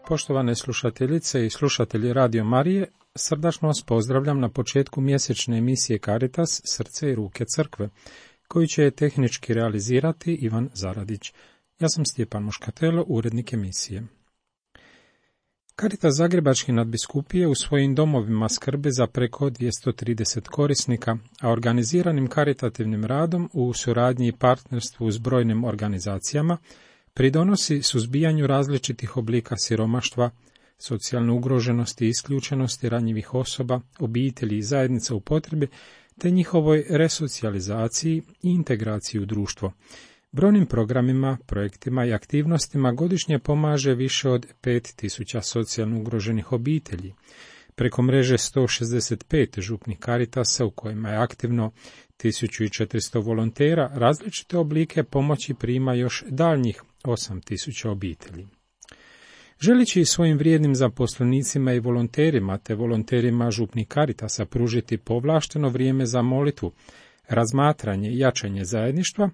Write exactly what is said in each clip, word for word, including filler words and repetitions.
Poštovane slušateljice i slušatelji Radio Marije, srdačno vas pozdravljam na početku mjesečne emisije Caritas, srce i ruke crkve, koju će tehnički realizirati Ivan Zaradić. Ja sam Stjepan Moškatelo, urednik emisije. Caritas Zagrebačke nadbiskupije u svojim domovima skrbi za preko dvjesto trideset korisnika, a organiziranim karitativnim radom u suradnji i partnerstvu s brojnim organizacijama pridonosi suzbijanju različitih oblika siromaštva, socijalne ugroženosti i isključenosti ranjivih osoba, obitelji i zajednica u potrebi, te njihovoj resocijalizaciji i integraciji u društvo. Brojnim programima, projektima i aktivnostima godišnje pomaže više od pet tisuća socijalno ugroženih obitelji. Preko mreže sto šezdeset pet župnih Caritasa u kojima je aktivno tisuću četiristo volontera, različite oblike pomoći prima još daljnjih osam tisuća obitelji. Želeći svojim vrijednim zaposlenicima i volonterima te volonterima župnih Caritasa pružiti povlašteno vrijeme za molitvu, razmatranje i jačanje zajedništva,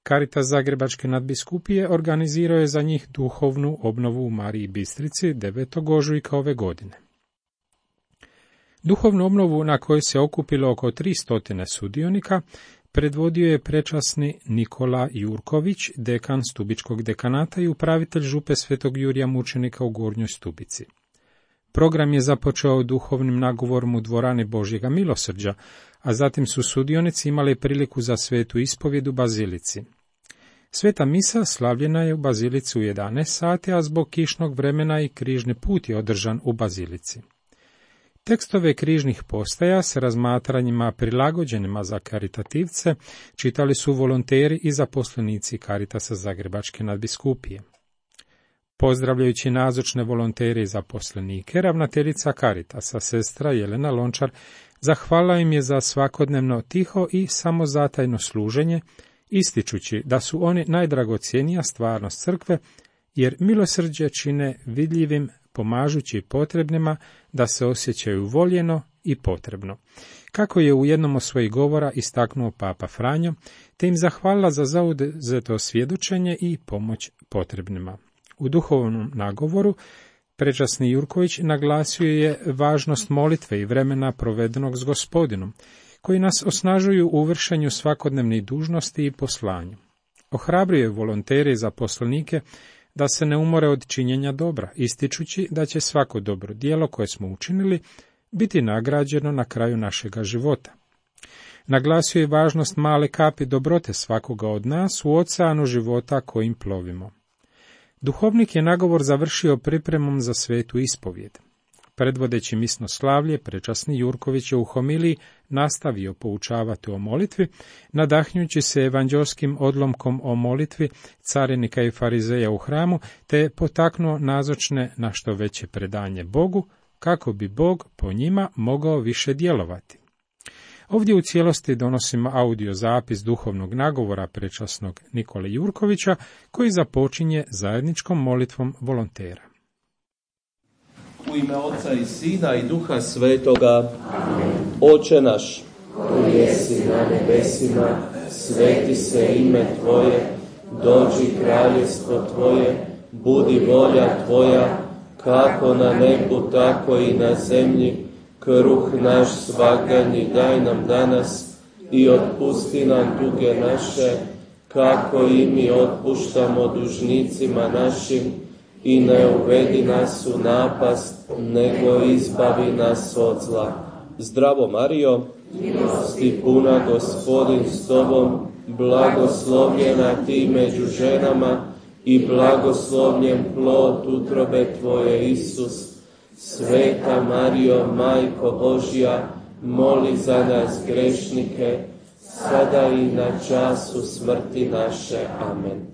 Caritas Zagrebačke nadbiskupije organizirao je za njih duhovnu obnovu u Mariji Bistrici devetog ožujka ove godine. Duhovnu obnovu na kojoj se okupilo oko tristo sudionika predvodio je prečasni Nikola Jurković, dekan Stubičkog dekanata i upravitelj župe Svetog Jurija Mučenika u Gornjoj Stubici. Program je započeo duhovnim nagovorom u dvorani Božjega milosrđa, a zatim su sudionici imali priliku za svetu ispovjed u Bazilici. Sveta misa slavljena je u Bazilici u jedanaest sati, a zbog kišnog vremena i križni put je održan u Bazilici. Tekstove križnih postaja s razmatranjima prilagođenima za karitativce čitali su volonteri i zaposlenici Caritasa Zagrebačke nadbiskupije. Pozdravljajući nazočne volontere i zaposlenike, ravnateljica Caritasa, sestra Jelena Lončar, zahvalila im je za svakodnevno tiho i samozatajno služenje, ističući da su oni najdragocjenija stvarnost crkve, jer milosrđe čine vidljivim, pomažući potrebnima da se osjećaju voljeno i potrebno. Kako je u jednom od svojih govora istaknuo Papa Franjo, te im zahvalila za zauzeto svjedočenje i pomoć potrebnima. U duhovnom nagovoru prečasni Jurković naglasio je važnost molitve i vremena provedenog s Gospodinom, koji nas osnažuju u vršenju svakodnevnih dužnosti i poslanju. Ohrabrio je volontere i zaposlenike da se ne umore od činjenja dobra, ističući da će svako dobro djelo koje smo učinili biti nagrađeno na kraju našega života. Naglasio je važnost male kapi dobrote svakoga od nas u oceanu života kojim plovimo. Duhovnik je nagovor završio pripremom za svetu ispovjed. Predvodeći misno slavlje, prečasni Jurković je u homiliji nastavio poučavati o molitvi, nadahnjući se evanđelskim odlomkom o molitvi carinika i farizeja u hramu, te potaknuo nazočne na što veće predanje Bogu, kako bi Bog po njima mogao više djelovati. Ovdje u cijelosti donosimo audio zapis duhovnog nagovora prečasnog Nikole Jurkovića, koji započinje zajedničkom molitvom volontera. U ime Oca i Sina i Duha Svetoga. Oče naš, koji jesi na nebesima, sveti se ime Tvoje, dođi kraljevstvo Tvoje, budi volja Tvoja, kako na nebu, tako i na zemlji. Kruh naš svagdanji daj nam danas i otpusti nam duge naše, kako i mi otpuštamo dužnicima našim, i ne uvedi nas u napast, nego izbavi nas od zla. Zdravo Marijo, milosti puna, Gospodin s tobom, blagoslovljena ti među ženama i blagoslovljen plod utrobe tvoje, Isus. Sveta Marijo, Majko Božja, moli za nas grešnike, sada i na času smrti naše. Amen.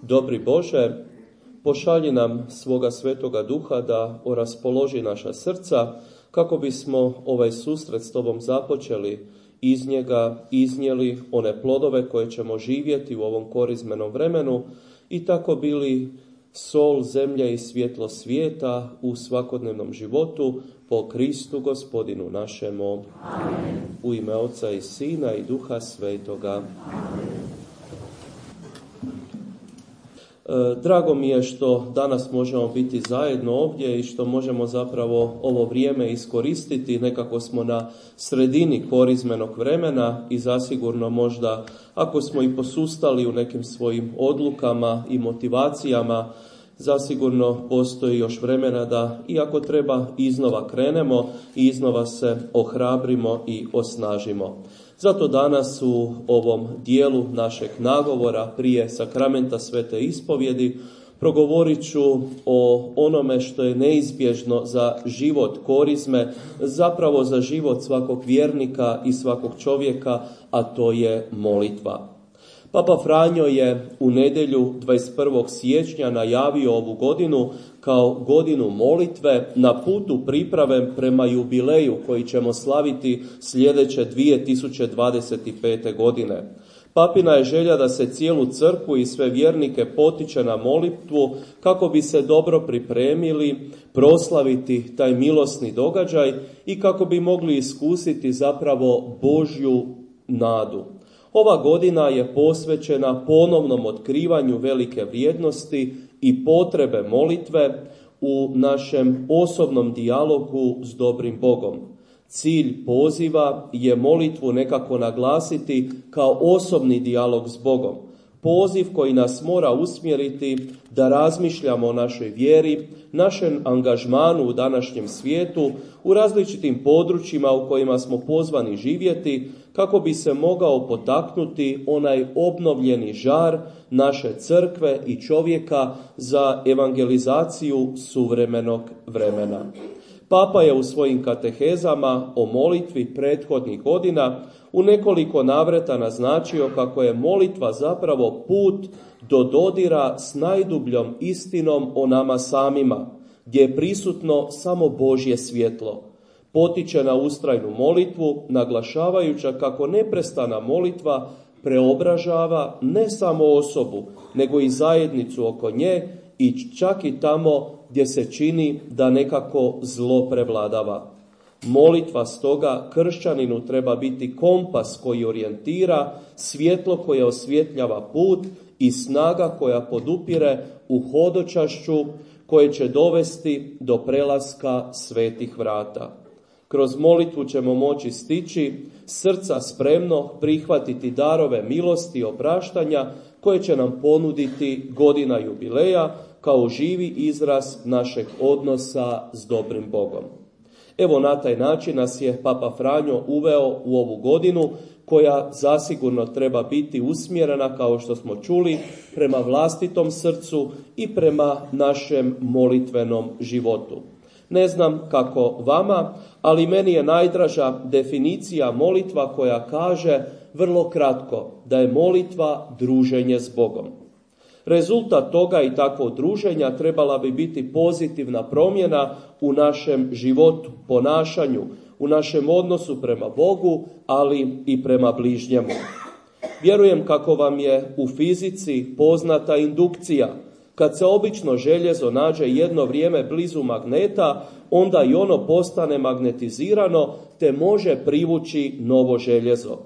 Dobri Bože, pošalji nam svoga Svetoga Duha da oraspoloži naša srca, kako bismo ovaj susret s Tobom započeli, iz njega iznijeli one plodove koje ćemo živjeti u ovom korizmenom vremenu i tako bili sol zemlje i svjetlo svijeta u svakodnevnom životu po Kristu Gospodinu našemu. Amen. U ime Oca i Sina i Duha Svetoga. Amen. Drago mi je što danas možemo biti zajedno ovdje i što možemo zapravo ovo vrijeme iskoristiti. Nekako smo na sredini korizmenog vremena i zasigurno možda ako smo i posustali u nekim svojim odlukama i motivacijama, zasigurno postoji još vremena da, iako treba, iznova krenemo i iznova se ohrabrimo i osnažimo. Zato danas u ovom dijelu našeg nagovora prije sakramenta Svete ispovjedi progovorit ću o onome što je neizbježno za život korizme, zapravo za život svakog vjernika i svakog čovjeka, a to je molitva. Papa Franjo je u nedjelju dvadeset prvog siječnja najavio ovu godinu kao godinu molitve na putu priprave prema jubileju koji ćemo slaviti sljedeće dvije tisuće dvadeset pete. godine. Papina je želja da se cijelu crkvu i sve vjernike potiče na molitvu kako bi se dobro pripremili proslaviti taj milosni događaj i kako bi mogli iskusiti zapravo Božju nadu. Ova godina je posvećena ponovnom otkrivanju velike vrijednosti i potrebe molitve u našem osobnom dijalogu s dobrim Bogom. Cilj poziva je molitvu nekako naglasiti kao osobni dijalog s Bogom. Poziv koji nas mora usmjeriti da razmišljamo o našoj vjeri, našem angažmanu u današnjem svijetu, u različitim područjima u kojima smo pozvani živjeti, kako bi se mogao potaknuti onaj obnovljeni žar naše crkve i čovjeka za evangelizaciju suvremenog vremena. Papa je u svojim katehezama o molitvi prethodnih godina u nekoliko navrata naznačio kako je molitva zapravo put do dodira s najdubljom istinom o nama samima, gdje je prisutno samo Božje svjetlo. Potiče na ustrajnu molitvu, naglašavajuća kako neprestana molitva preobražava ne samo osobu, nego i zajednicu oko nje i čak i tamo gdje se čini da nekako zlo prevladava. Molitva stoga kršćaninu treba biti kompas koji orijentira, svjetlo koje osvjetljava put i snaga koja podupire u hodočašću koje će dovesti do prelaska svetih vrata. Kroz molitvu ćemo moći stići srca spremno prihvatiti darove milosti i opraštanja koje će nam ponuditi godina jubileja kao živi izraz našeg odnosa s dobrim Bogom. Evo, na taj način nas je Papa Franjo uveo u ovu godinu koja zasigurno treba biti usmjerena, kao što smo čuli, prema vlastitom srcu i prema našem molitvenom životu. Ne znam kako vama, ali meni je najdraža definicija molitva koja kaže vrlo kratko da je molitva druženje s Bogom. Rezultat toga i takvog druženja trebala bi biti pozitivna promjena u našem životu, ponašanju, u našem odnosu prema Bogu, ali i prema bližnjemu. Vjerujem kako vam je u fizici poznata indukcija. Kad se obično željezo nađe jedno vrijeme blizu magneta, onda i ono postane magnetizirano te može privući novo željezo.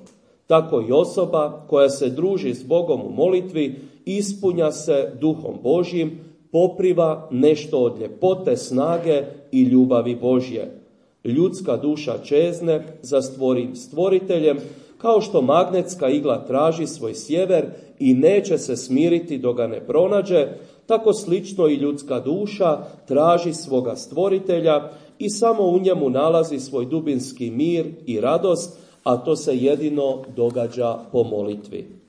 Tako i osoba koja se druži s Bogom u molitvi ispunja se duhom Božjim, popriva nešto od ljepote, snage i ljubavi Božje. Ljudska duša čezne za stvorim stvoriteljem, kao što magnetska igla traži svoj sjever i neće se smiriti dok ga ne pronađe, tako slično i ljudska duša traži svoga stvoritelja i samo u njemu nalazi svoj dubinski mir i radost, a to se jedino događa po molitvi.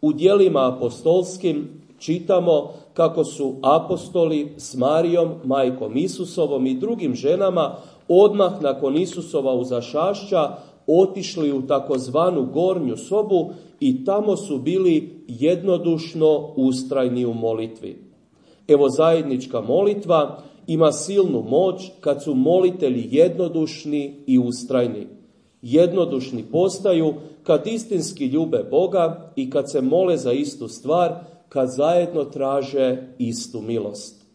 U djelima apostolskim čitamo kako su apostoli s Marijom, majkom Isusovom i drugim ženama odmah nakon Isusova uzašašća otišli u takozvanu gornju sobu i tamo su bili jednodušno ustrajni u molitvi. Evo, zajednička molitva ima silnu moć kad su molitelji jednodušni i ustrajni. Jednodušni postaju kad istinski ljube Boga i kad se mole za istu stvar, kad zajedno traže istu milost.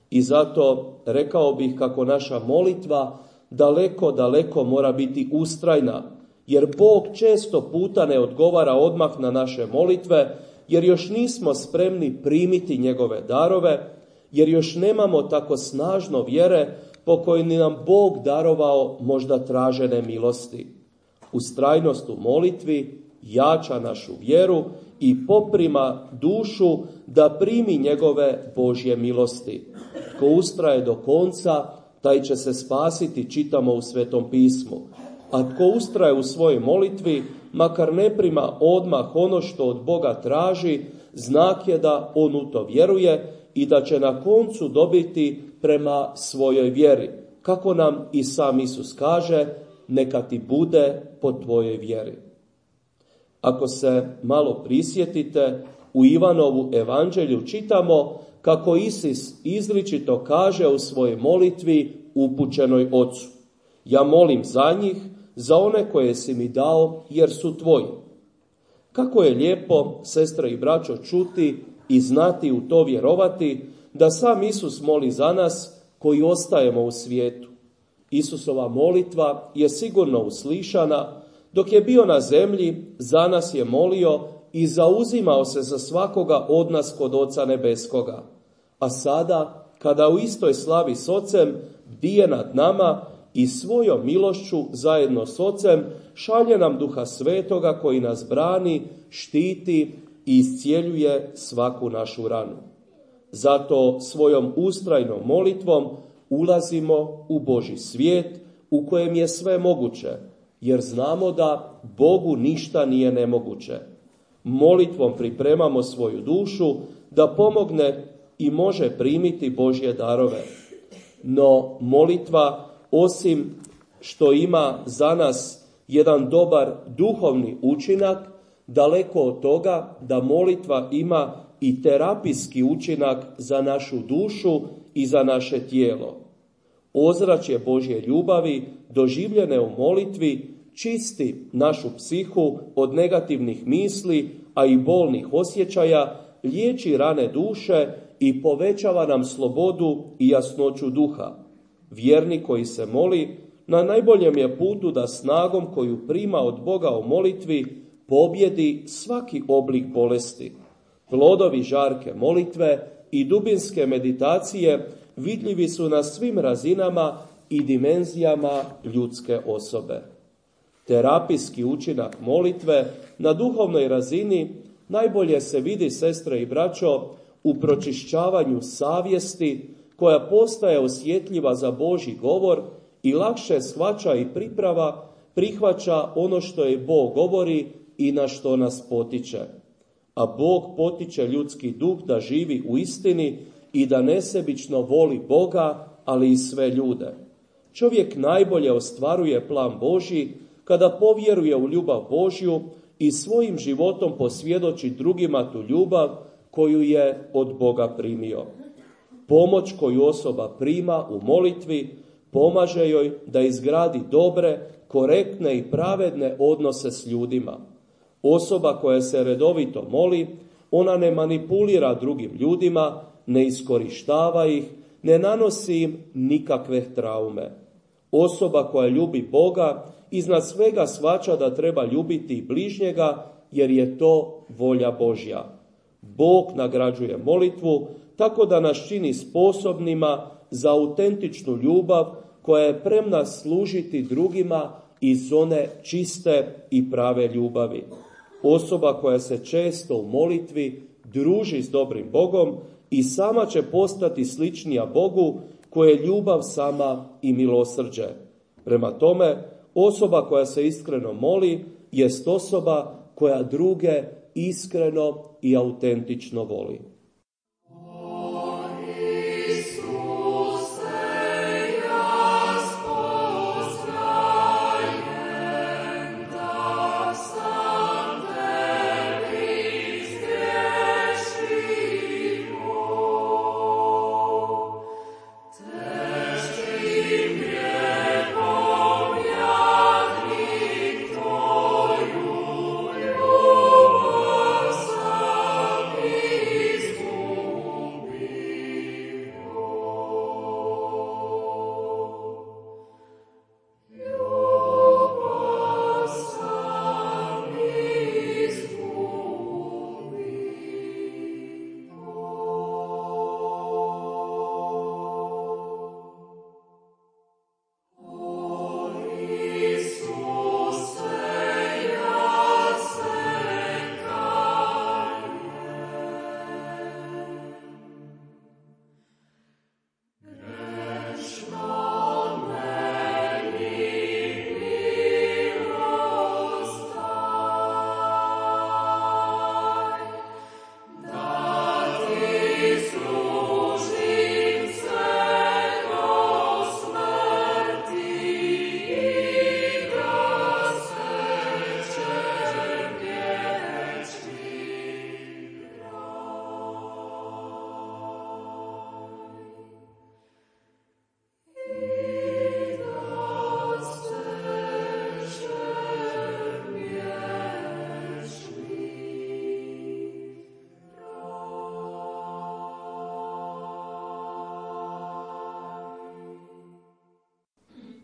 I zato rekao bih kako naša molitva daleko, daleko mora biti ustrajna, jer Bog često puta ne odgovara odmah na naše molitve, jer još nismo spremni primiti njegove darove, jer još nemamo tako snažno vjere po kojoj nam Bog darovao možda tražene milosti. Ustrajnost u molitvi jača našu vjeru i poprima dušu da primi njegove Božje milosti. Tko ustraje do konca, taj će se spasiti, čitamo u Svetom pismu. A tko ustraje u svojoj molitvi, makar ne prima odmah ono što od Boga traži, znak je da on u to vjeruje i da će na koncu dobiti prema svojoj vjeri. Kako nam i sam Isus kaže, neka ti bude po tvojoj vjeri. Ako se malo prisjetite, u Ivanovu evanđelju čitamo kako Isus izričito kaže u svojoj molitvi upućenoj Ocu: ja molim za njih, za one koje si mi dao, jer su tvoji. Kako je lijepo, sestre i braćo, čuti i znati u to vjerovati, da sam Isus moli za nas koji ostajemo u svijetu. Isusova molitva je sigurno uslišana. Dok je bio na zemlji, za nas je molio i zauzimao se za svakoga od nas kod Oca Nebeskoga. A sada, kada u istoj slavi s Ocem bdije nad nama i svojom milošću zajedno s Ocem šalje nam Duha Svetoga koji nas brani, štiti i iscijeljuje svaku našu ranu. Zato svojom ustrajnom molitvom ulazimo u Božji svijet u kojem je sve moguće, jer znamo da Bogu ništa nije nemoguće. Molitvom pripremamo svoju dušu da pomogne i može primiti Božje darove. No molitva, osim što ima za nas jedan dobar duhovni učinak, daleko od toga da molitva ima i terapijski učinak za našu dušu i za naše tijelo. Ozračje Božje ljubavi, doživljene u molitvi, čisti našu psihu od negativnih misli, a i bolnih osjećaja, liječi rane duše i povećava nam slobodu i jasnoću duha. Vjernik koji se moli na najboljem je putu da snagom koju prima od Boga u molitvi pobjedi svaki oblik bolesti. Plodovi žarke molitve i dubinske meditacije vidljivi su na svim razinama i dimenzijama ljudske osobe. Terapijski učinak molitve na duhovnoj razini najbolje se vidi, sestre i braćo, u pročišćavanju savjesti koja postaje osjetljiva za Božji govor i lakše shvaća i priprava, prihvaća ono što je Bog govori i na što nas potiče. A Bog potiče ljudski duh da živi u istini i da nesebično voli Boga, ali i sve ljude. Čovjek najbolje ostvaruje plan Božji kada povjeruje u ljubav Božju i svojim životom posvjedoči drugima tu ljubav koju je od Boga primio. Pomoć koju osoba prima u molitvi pomaže joj da izgradi dobre, korektne i pravedne odnose s ljudima. Osoba koja se redovito moli, ona ne manipulira drugim ljudima, ne iskorištava ih, ne nanosi im nikakve traume. Osoba koja ljubi Boga iznad svega shvaća da treba ljubiti bližnjega, jer je to volja Božja. Bog nagrađuje molitvu tako da nas čini sposobnima za autentičnu ljubav koja je premna služiti drugima iz one čiste i prave ljubavi. Osoba koja se često u molitvi druži s dobrim Bogom i sama će postati sličnija Bogu koje je ljubav sama i milosrđe. Prema tome, osoba koja se iskreno moli jest osoba koja druge iskreno i autentično voli.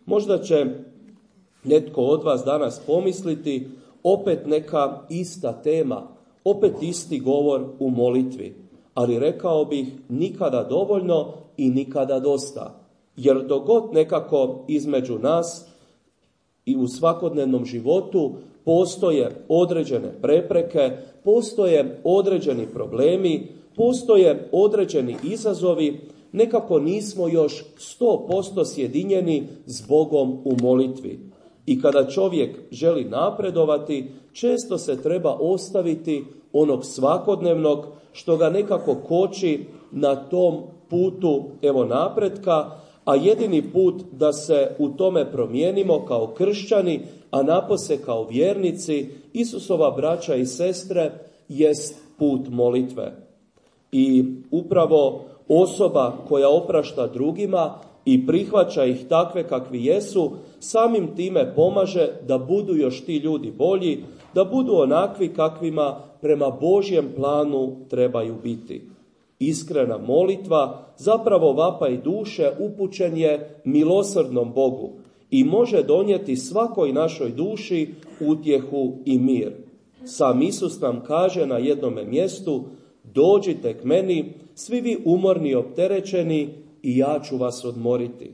Možda će netko od vas danas pomisliti, opet neka ista tema, opet isti govor u molitvi. Ali rekao bih, nikada dovoljno i nikada dosta. Jer dok god nekako između nas i u svakodnevnom životu postoje određene prepreke, postoje određeni problemi, postoje određeni izazovi, nekako nismo još sto posto sjedinjeni s Bogom u molitvi. I kada čovjek želi napredovati, često se treba ostaviti onog svakodnevnog što ga nekako koči na tom putu evo napretka, a jedini put da se u tome promijenimo kao kršćani, a napose kao vjernici, Isusova braća i sestre, jest put molitve. I upravo osoba koja oprašta drugima i prihvaća ih takve kakvi jesu, samim time pomaže da budu još ti ljudi bolji, da budu onakvi kakvima prema Božjem planu trebaju biti. Iskrena molitva, zapravo vapaj duše, upućen je milosrdnom Bogu i može donijeti svakoj našoj duši utjehu i mir. Sam Isus nam kaže na jednome mjestu, dođite k meni, svi vi umorni i opterećeni, i ja ću vas odmoriti.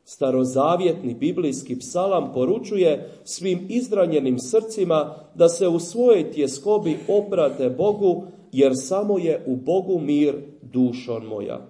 Starozavjetni biblijski psalam poručuje svim izranjenim srcima da se u svojoj tjeskobi obrate Bogu, jer samo je u Bogu mir, dušo moja.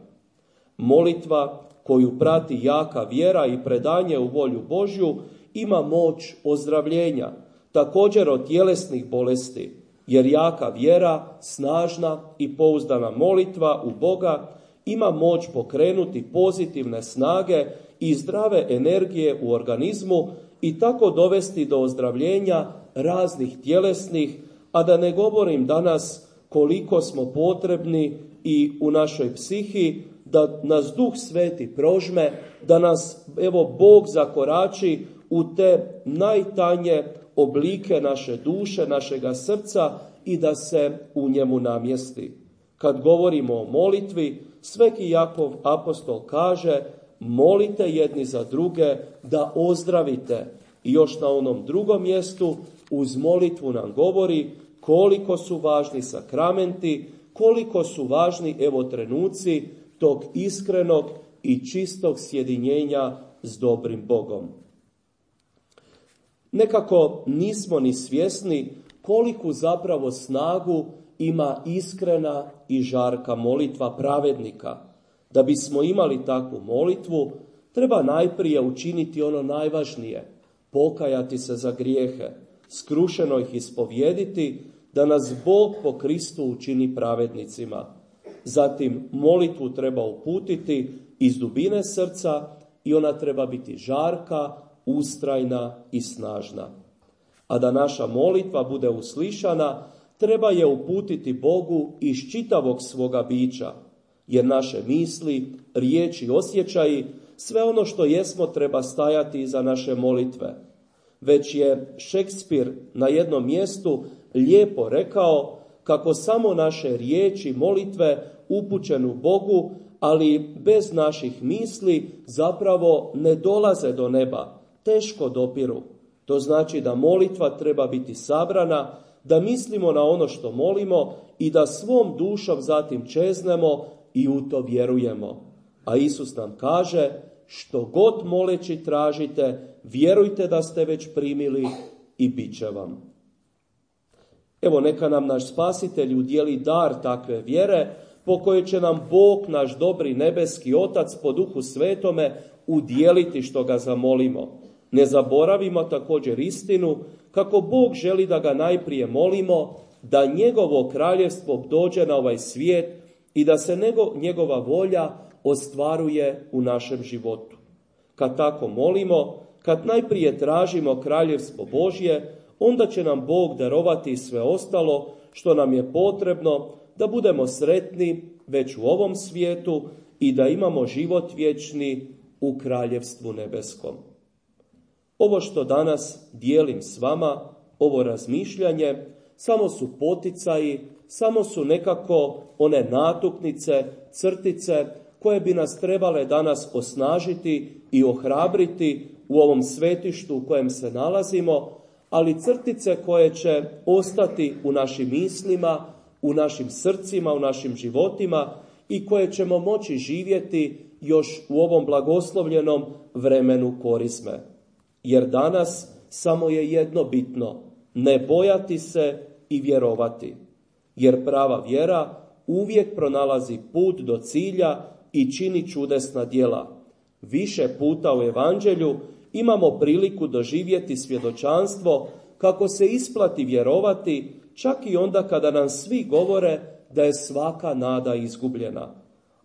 Molitva koju prati jaka vjera i predanje u volju Božju ima moć ozdravljenja, također od tjelesnih bolesti, jer jaka vjera, snažna i pouzdana molitva u Boga ima moć pokrenuti pozitivne snage i zdrave energije u organizmu i tako dovesti do ozdravljenja raznih tjelesnih, a da ne govorim danas koliko smo potrebni i u našoj psihi, da nas Duh Sveti prožme, da nas evo Bog zakorači u te najtanje oblike naše duše, našega srca i da se u njemu namjesti. Kad govorimo o molitvi, Sveti Jakov apostol kaže, molite jedni za druge da ozdravite. I još na onom drugom mjestu uz molitvu nam govori koliko su važni sakramenti, koliko su važni evo trenuci tog iskrenog i čistog sjedinjenja s dobrim Bogom. Nekako nismo ni svjesni koliku zapravo snagu ima iskrena i žarka molitva pravednika. Da bismo imali takvu molitvu, treba najprije učiniti ono najvažnije, pokajati se za grijehe, skrušeno ih ispovjediti, da nas Bog po Kristu učini pravednicima. Zatim molitvu treba uputiti iz dubine srca i ona treba biti žarka, ustrajna i snažna. A da naša molitva bude uslišana, treba je uputiti Bogu iz čitavog svoga bića, jer naše misli, riječi, osjećaji, sve ono što jesmo treba stajati iza naše molitve. Već je Šekspir na jednom mjestu lijepo rekao kako samo naše riječi molitve upućenu Bogu, ali bez naših misli zapravo ne dolaze do neba, teško dopiru. To znači da molitva treba biti sabrana, da mislimo na ono što molimo i da svom dušom zatim čeznemo i u to vjerujemo. A Isus nam kaže, što god moleći tražite, vjerujte da ste već primili i bit će vam. Evo neka nam naš Spasitelj udijeli dar takve vjere, po kojoj će nam Bog, naš dobri nebeski Otac po Duhu Svetome, udijeliti što ga zamolimo. Ne zaboravimo također istinu, kako Bog želi da ga najprije molimo, da njegovo kraljevstvo dođe na ovaj svijet i da se nego, njegova volja ostvaruje u našem životu. Kad tako molimo, kad najprije tražimo kraljevstvo Božje, onda će nam Bog darovati sve ostalo što nam je potrebno da budemo sretni već u ovom svijetu i da imamo život vječni u kraljevstvu nebeskom. Ovo što danas dijelim s vama, ovo razmišljanje, samo su poticaji, samo su nekako one natuknice, crtice koje bi nas trebale danas osnažiti i ohrabriti u ovom svetištu u kojem se nalazimo, ali crtice koje će ostati u našim mislima, u našim srcima, u našim životima i koje ćemo moći živjeti još u ovom blagoslovljenom vremenu Korizme. Jer danas samo je jedno bitno, ne bojati se i vjerovati. Jer prava vjera uvijek pronalazi put do cilja i čini čudesna djela. Više puta u Evanđelju imamo priliku doživjeti svjedočanstvo kako se isplati vjerovati čak i onda kada nam svi govore da je svaka nada izgubljena.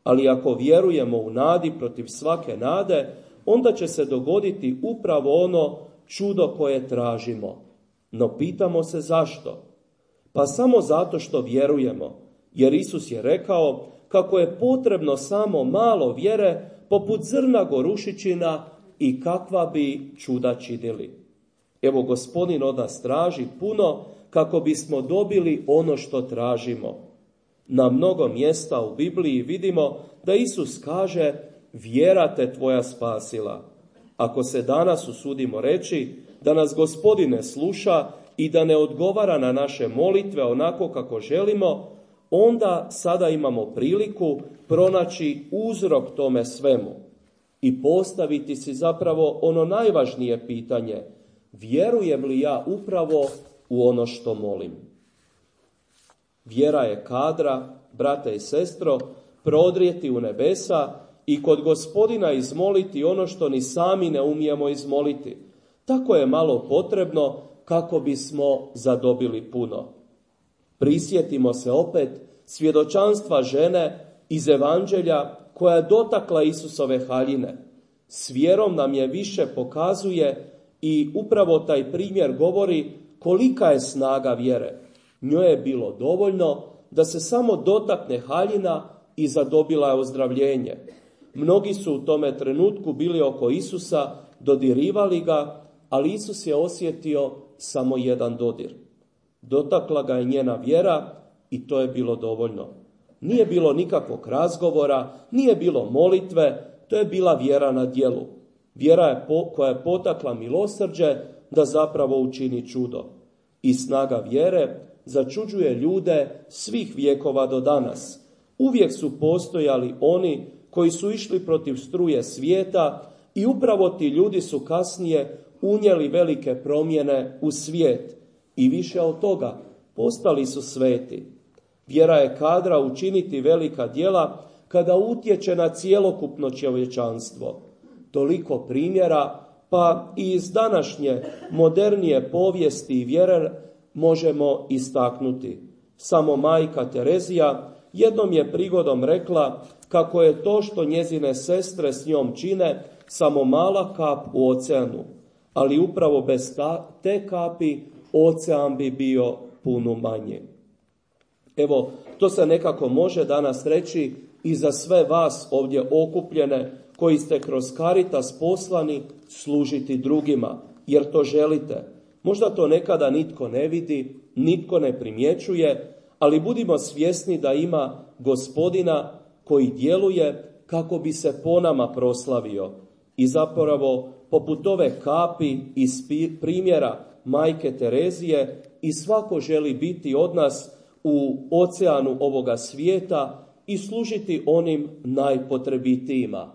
Ali ako vjerujemo u nadi protiv svake nade, onda će se dogoditi upravo ono čudo koje tražimo. No pitamo se zašto? Pa samo zato što vjerujemo, jer Isus je rekao kako je potrebno samo malo vjere poput zrna gorušičina i kakva bi čuda činili. Evo, Gospodin od nas traži puno kako bismo dobili ono što tražimo. Na mnogo mjesta u Bibliji vidimo da Isus kaže vjera te tvoja spasila. Ako se danas usudimo reći da nas Gospodin ne sluša i da ne odgovara na naše molitve onako kako želimo, onda sada imamo priliku pronaći uzrok tome svemu i postaviti si zapravo ono najvažnije pitanje: vjerujem li ja upravo u ono što molim? Vjera je kadra, brate i sestro, prodrijeti u nebesa i kod Gospodina izmoliti ono što ni sami ne umijemo izmoliti. Tako je malo potrebno kako bismo zadobili puno. Prisjetimo se opet svjedočanstva žene iz Evanđelja koja je dotakla Isusove haljine. S vjerom nam je više pokazuje i upravo taj primjer govori kolika je snaga vjere. Njoj je bilo dovoljno da se samo dotakne haljina i zadobila je ozdravljenje. Mnogi su u tome trenutku bili oko Isusa, dodirivali ga, ali Isus je osjetio samo jedan dodir. Dotakla ga je njena vjera i to je bilo dovoljno. Nije bilo nikakvog razgovora, nije bilo molitve, to je bila vjera na djelu. Vjera je po, koja je potakla milosrđe da zapravo učini čudo. I snaga vjere začuđuje ljude svih vjekova do danas. Uvijek su postojali oni koji su išli protiv struje svijeta i upravo ti ljudi su kasnije unijeli velike promjene u svijet. I više od toga, postali su sveti. Vjera je kadra učiniti velika djela kada utječe na cjelokupno čovječanstvo. Toliko primjera, pa i iz današnje modernije povijesti i vjere možemo istaknuti. Samo majka Terezija jednom je prigodom rekla kako je to što njezine sestre s njom čine samo mala kap u oceanu, ali upravo bez ta, te kapi ocean bi bio puno manji. Evo, to se nekako može danas reći i za sve vas ovdje okupljene koji ste kroz Caritas poslani služiti drugima, jer to želite. Možda to nekada nitko ne vidi, nitko ne primjećuje, ali budimo svjesni da ima Gospodina koji djeluje kako bi se po nama proslavio. I zapravo, poput ove kapi iz primjera majke Terezije, i svako želi biti od nas u oceanu ovoga svijeta i služiti onim najpotrebitijima.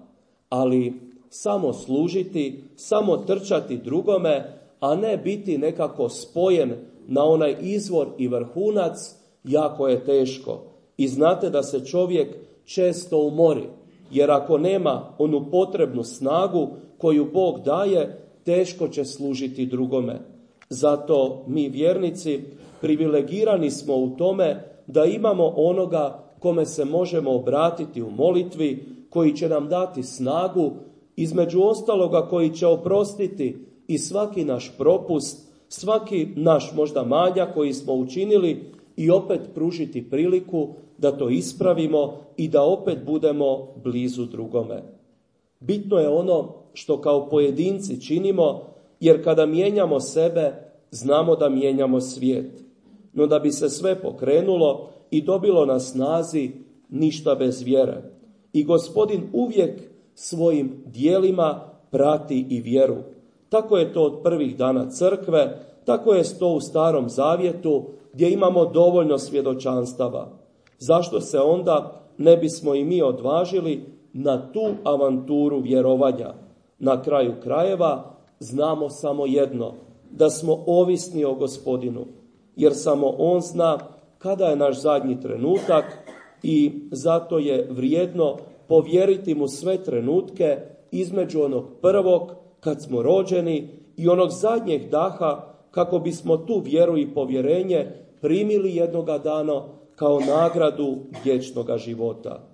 Ali samo služiti, samo trčati drugome, a ne biti nekako spojen na onaj izvor i vrhunac, jako je teško. I znate da se čovjek često umori, jer ako nema onu potrebnu snagu koju Bog daje, teško će služiti drugome. Zato mi vjernici privilegirani smo u tome da imamo onoga kome se možemo obratiti u molitvi, koji će nam dati snagu, između ostaloga koji će oprostiti i svaki naš propust, svaki naš možda manjak koji smo učinili i opet pružiti priliku da to ispravimo i da opet budemo blizu drugome. Bitno je ono što kao pojedinci činimo, jer kada mijenjamo sebe, znamo da mijenjamo svijet. No da bi se sve pokrenulo i dobilo na snazi, ništa bez vjere. I Gospodin uvijek svojim dijelima prati i vjeru. Tako je to od prvih dana crkve, tako je to u Starom Zavjetu gdje imamo dovoljno svjedočanstava. Zašto se onda ne bismo i mi odvažili na tu avanturu vjerovanja? Na kraju krajeva znamo samo jedno, da smo ovisni o Gospodinu, jer samo On zna kada je naš zadnji trenutak i zato je vrijedno povjeriti mu sve trenutke između onog prvog kad smo rođeni i onog zadnjeg daha kako bismo tu vjeru i povjerenje primili jednoga dana kao nagradu vječnoga života.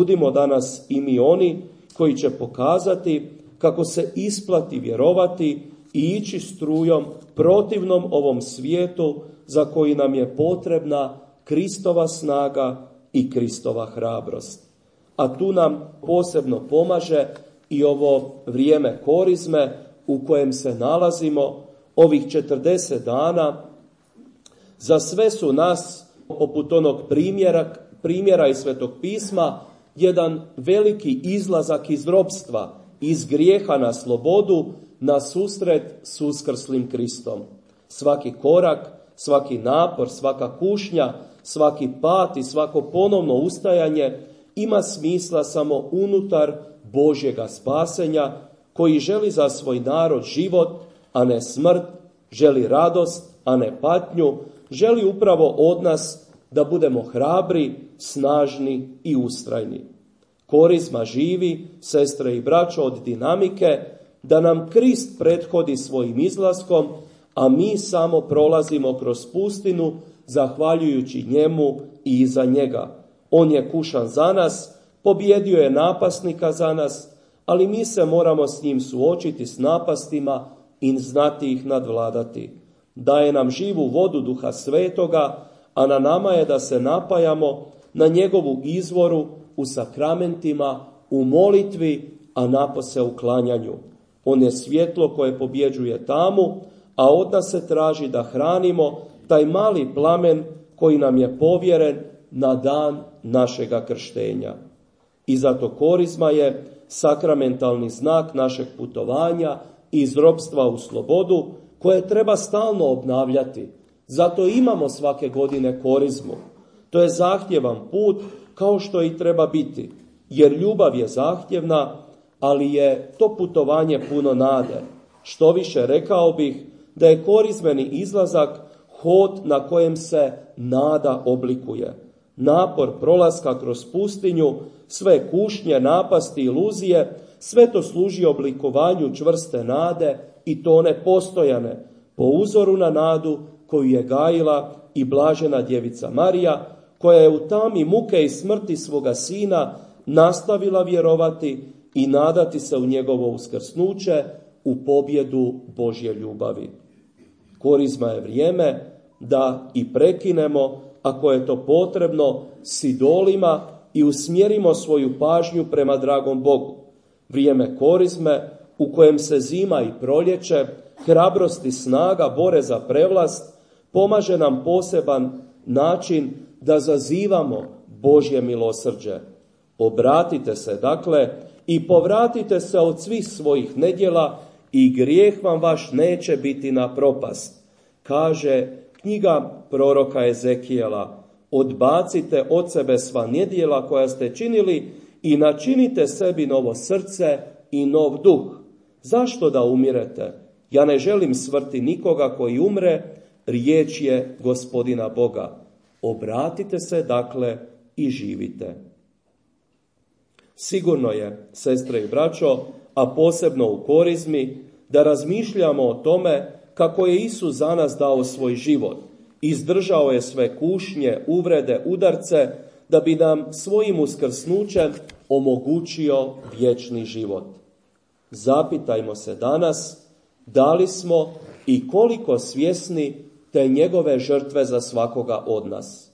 Budimo danas i mi oni koji će pokazati kako se isplati vjerovati i ići strujom protivnom ovom svijetu za koji nam je potrebna Kristova snaga i Kristova hrabrost. A tu nam posebno pomaže i ovo vrijeme korizme u kojem se nalazimo, ovih četrdeset dana. Za sve su nas, poput onog primjera, primjera iz Svetog pisma, jedan veliki izlazak iz ropstva, iz grijeha na slobodu, na susret s uskrslim Kristom. Svaki korak, svaki napor, svaka kušnja, svaki pad i svako ponovno ustajanje ima smisla samo unutar Božjega spasenja, koji želi za svoj narod život, a ne smrt, želi radost, a ne patnju, želi upravo od nas da budemo hrabri, snažni i ustrajni. Korizma živi, sestre i braćo, od dinamike da nam Krist prethodi svojim izlaskom, a mi samo prolazimo kroz pustinu zahvaljujući njemu i iza njega. On je kušan za nas, pobjedio je napasnika za nas, ali mi se moramo s njim suočiti s napastima i znati ih nadvladati. Daje nam živu vodu Duha Svetoga, a na nama je da se napajamo na njegovu izvoru u sakramentima, u molitvi, a napose u klanjanju. On je svjetlo koje pobjeđuje tamu, a od nas se traži da hranimo taj mali plamen koji nam je povjeren na dan našega krštenja. I zato korizma je sakramentalni znak našeg putovanja iz ropstva u slobodu, koje treba stalno obnavljati. Zato imamo svake godine korizmu. To je zahtjevan put, kao što i treba biti, jer ljubav je zahtjevna, ali je to putovanje puno nade. Što više, rekao bih da je korizmeni izlazak hod na kojem se nada oblikuje. Napor prolaska kroz pustinju, sve kušnje, napasti, iluzije, sve to služi oblikovanju čvrste nade i to one postojane, po uzoru na nadu koju je gajila i blažena djevica Marija, koja je u tami muke i smrti svoga sina nastavila vjerovati i nadati se u njegovo uskrsnuće, u pobjedu Božje ljubavi. Korizma je vrijeme da i prekinemo, ako je to potrebno, s idolima i usmjerimo svoju pažnju prema dragom Bogu. Vrijeme korizme u kojem se zima i proljeće, hrabrost i snaga bore za prevlast, pomaže nam poseban način da zazivamo Božje milosrđe. Obratite se, dakle, i povratite se od svih svojih nedjela i grijeh vam vaš neće biti na propast. Kaže knjiga proroka Ezekijela, odbacite od sebe sva nedjela koja ste činili i načinite sebi novo srce i nov duh. Zašto da umirete? Ja ne želim smrti nikoga koji umre, riječ je Gospodina Boga. Obratite se, dakle, i živite. Sigurno je, sestre i braćo, a posebno u korizmi, da razmišljamo o tome kako je Isus za nas dao svoj život. Izdržao je sve kušnje, uvrede, udarce, da bi nam svojim uskrsnućem omogućio vječni život. Zapitajmo se danas, da li smo i koliko svjesni te njegove žrtve za svakoga od nas.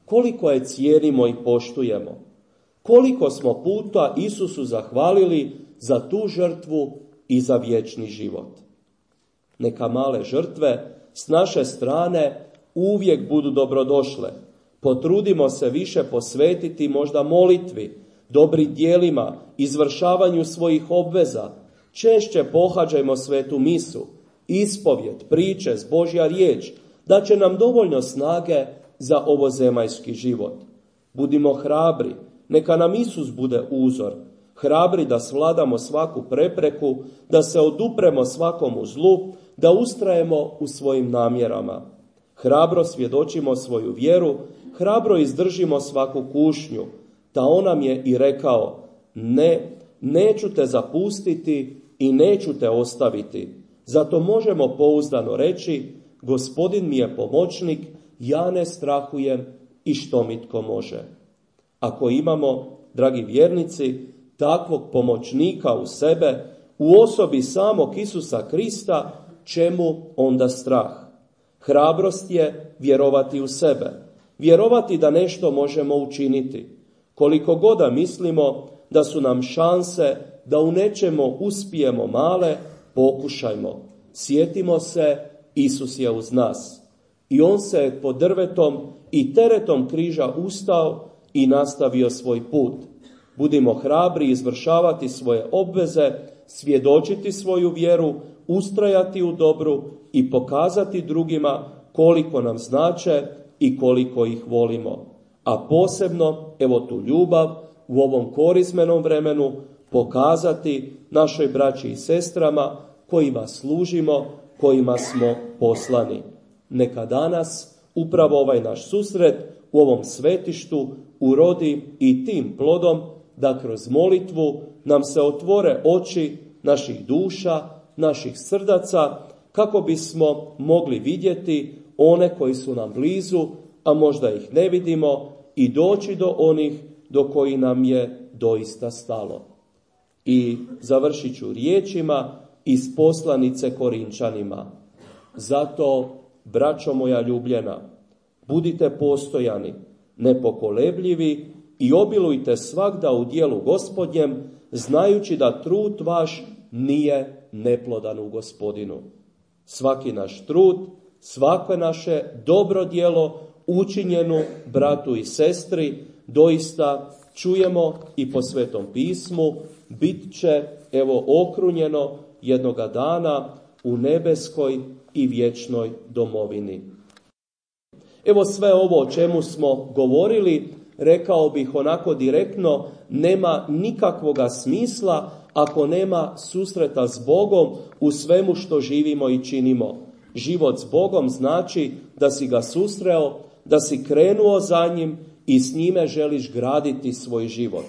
Koliko je cijenimo i poštujemo. Koliko smo puta Isusu zahvalili za tu žrtvu i za vječni život. Neka male žrtve s naše strane uvijek budu dobrodošle. Potrudimo se više posvetiti možda molitvi, dobrim djelima, izvršavanju svojih obveza. Češće pohađajmo svetu misu, ispovjed, priče, Božja riječ, da će nam dovoljno snage za ovozemaljski život. Budimo hrabri, neka nam Isus bude uzor, hrabri da svladamo svaku prepreku, da se odupremo svakomu zlu, da ustrajemo u svojim namjerama. Hrabro svjedočimo svoju vjeru, hrabro izdržimo svaku kušnju. Ta on nam je i rekao, ne, neću te zapustiti i neću te ostaviti. Zato možemo pouzdano reći, Gospodin mi je pomoćnik, ja ne strahujem i što mi tko može. Ako imamo, dragi vjernici, takvog pomoćnika u sebe, u osobi samog Isusa Krista, čemu onda strah? Hrabrost je vjerovati u sebe, vjerovati da nešto možemo učiniti. Koliko god da mislimo da su nam šanse da u nečemu uspijemo male, pokušajmo. Sjetimo se, Isus je uz nas. I on se pod drvetom i teretom križa ustao i nastavio svoj put. Budimo hrabri izvršavati svoje obveze, svjedočiti svoju vjeru, ustrajati u dobru i pokazati drugima koliko nam znače i koliko ih volimo. A posebno, evo tu ljubav, u ovom korizmenom vremenu pokazati našoj braći i sestrama kojima služimo, kojima smo poslani. Neka danas upravo ovaj naš susret u ovom svetištu urodi i tim plodom da kroz molitvu nam se otvore oči naših duša, naših srdaca, kako bismo mogli vidjeti one koji su nam blizu, a možda ih ne vidimo, i doći do onih do koji nam je doista stalo. I završit ću riječima iz poslanice Korinčanima. Zato, braćo moja ljubljena, budite postojani, nepokolebljivi i obilujte svagda u djelu Gospodnjem, znajući da trud vaš nije neplodan u Gospodinu. Svaki naš trud, svako naše dobro djelo učinjenu bratu i sestri, doista čujemo i po Svetom pismu, bit će evo okrunjeno jednoga dana u nebeskoj i vječnoj domovini. Evo sve ovo o čemu smo govorili, rekao bih onako direktno, nema nikakvoga smisla ako nema susreta s Bogom u svemu što živimo i činimo. Život s Bogom znači da si ga susreo, da si krenuo za njim i s njime želiš graditi svoj život.